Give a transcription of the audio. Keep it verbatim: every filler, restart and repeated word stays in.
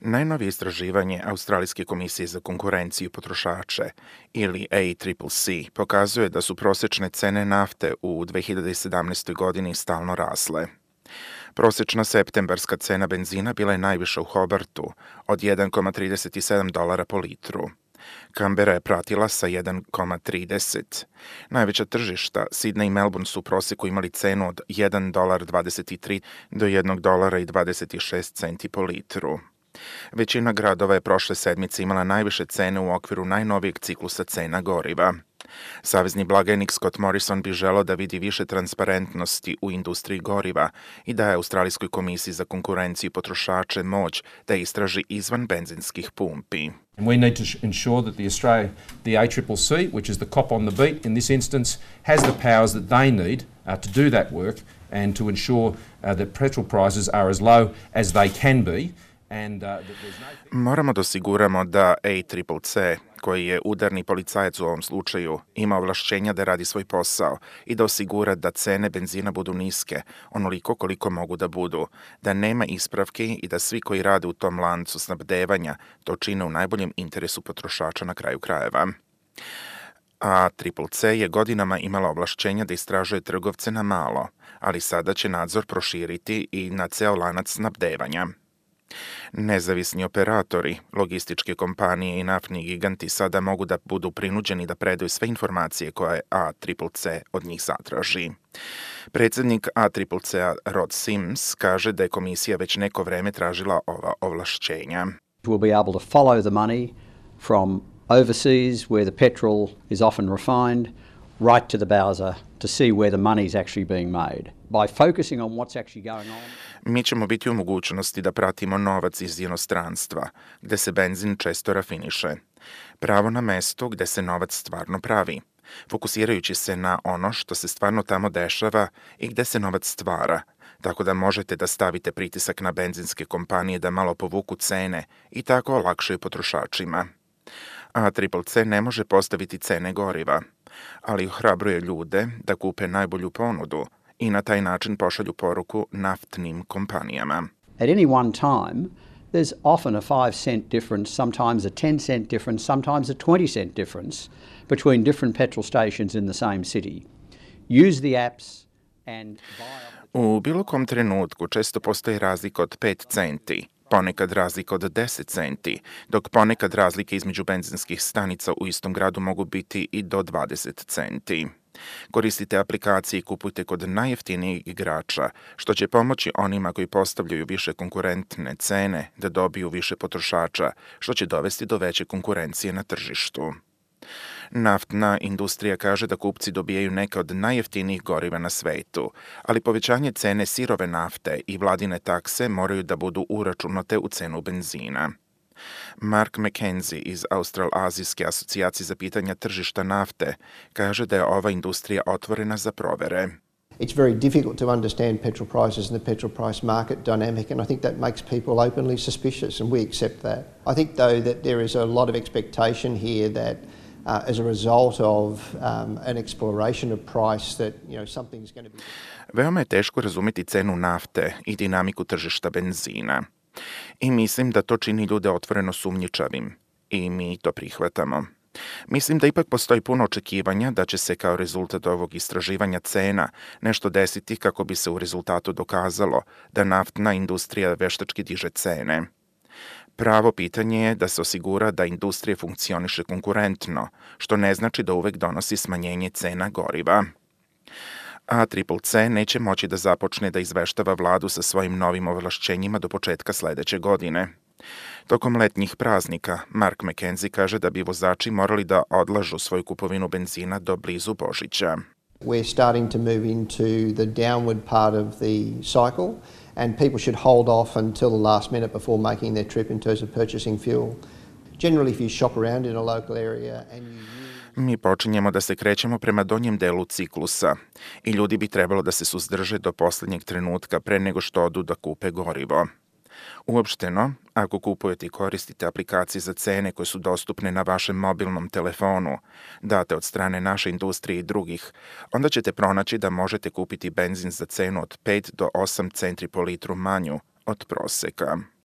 Najnovije istraživanje Australijske komisije za konkurenciju potrošače ili A C C C pokazuje da su prosječne cene nafte u dve hiljade sedamnaestoj. godini stalno rasle. Prosječna septembarska cena benzina bila je najviša u Hobartu od jedan zarez trideset sedam dolara po litru. Kambera je pratila sa jedan zarez trideset. Najveća tržišta, Sidney i Melbourne, su u prosjeku imali cenu od jedan zarez dvadeset tri do jedan zarez dvadeset šest centi po litru. Većina gradova je prošle sedmice imala najviše cene u okviru najnovijeg ciklusa cena goriva. Savezni blagajnik Scott Morrison bi želeo da vidi više transparentnosti u industriji goriva i daje Australijskoj komisiji za konkurenciju potrošače moć da istraži izvan benzinskih pumpi. We need to ensure that the Australia, the A C C C, which is the cop on the beat in this instance, has the powers that they need uh, to do that work and to ensure uh, that petrol prices are as low as they can be. And, uh, that there's no... Moramo da osiguramo da A C C C, koji je udarni policajac u ovom slučaju, ima ovlašćenja da radi svoj posao i da osigura da cene benzina budu niske, onoliko koliko mogu da budu, da nema ispravki i da svi koji rade u tom lancu snabdevanja to čine u najboljem interesu potrošača na kraju krajeva. A C C C je godinama imala ovlašćenja da istražuje trgovce na malo, ali sada će nadzor proširiti i na ceo lanac snabdevanja. Nezavisni operatori, logističke kompanije i naftni giganti sada mogu da budu prinuđeni da predaju sve informacije koje A C C C od njih zatraži. Predsednik A C C C-a Rod Sims kaže da je komisija već neko vreme tražila ova ovlašćenja. We'll be able to follow the money from overseas where the petrol is often refined right to the bowser to see where the money is actually being made. By focusing on what's actually going on. Mi ćemo biti u mogućnosti da pratimo novac iz inostranstva, gde se benzin često rafiniše. Pravo na mesto gde se novac stvarno pravi, fokusirajući se na ono što se stvarno tamo dešava i gde se novac stvara, tako da možete da stavite pritisak na benzinske kompanije da malo povuku cene i tako olakšaju potrošačima. A C C C ne može postaviti cene goriva, ali ohrabruje ljude da kupe najbolju ponudu i na taj način pošalju poruku naftnim kompanijama. At any one time, there's often a five cent difference, sometimes a ten cent difference, sometimes a twenty cent difference between different petrol stations in the same city. Use the apps and buy... U bilo kom trenutku često postoji razlika od pet centi, ponekad razlika od deset centi, dok ponekad razlike između benzinskih stanica u istom gradu mogu biti i do dvadeset centi. Koristite aplikacije i kupujte kod najjeftinijih igrača, što će pomoći onima koji postavljaju više konkurentne cene da dobiju više potrošača, što će dovesti do veće konkurencije na tržištu. Naftna industrija kaže da kupci dobijaju neke od najjeftinijih goriva na svetu, ali povećanje cene sirove nafte i vladine takse moraju da budu uračunate u cenu benzina. Mark McKenzie iz Australazijske asocijacije za pitanja tržišta nafte kaže da je ova industrija otvorena za provere. It's very difficult to understand petrol prices and the petrol price market dynamic, and I think that makes people openly suspicious, and we accept that. I think, though, that there is a lot of expectation here that uh, as a result of um, an exploration of price that, you know, something's going to be... Veoma je teško razumeti cenu nafte i dinamiku tržišta benzina. I mislim da to čini ljude otvoreno sumnjičavim. I mi to prihvatamo. Mislim da ipak postoji puno očekivanja da će se kao rezultat ovog istraživanja cena nešto desiti kako bi se u rezultatu dokazalo da naftna industrija veštački diže cene. Pravo pitanje je da se osigura da industrija funkcioniše konkurentno, što ne znači da uvek donosi smanjenje cena goriva. A C C C neće moći da započne da izveštava vladu sa svojim novim ovlašćenjima do početka sledeće godine. Tokom letnjih praznika, Mark McKenzie kaže da bi vozači morali da odlažu svoju kupovinu benzina do blizu Božića. We're starting to move into the downward part of the cycle, and people should hold off until the last minute before making their trip in terms of purchasing fuel. Generally, if you shop around in a local area and you Mi počinjemo da se krećemo prema donjem delu ciklusa i ljudi bi trebalo da se suzdrže do poslednjeg trenutka pre nego što odu da kupe gorivo. Uopšteno, ako kupujete i koristite aplikacije za cene koje su dostupne na vašem mobilnom telefonu, date od strane naše industrije i drugih, onda ćete pronaći da možete kupiti benzin za cenu od pet do osam centi po litru manju od proseka.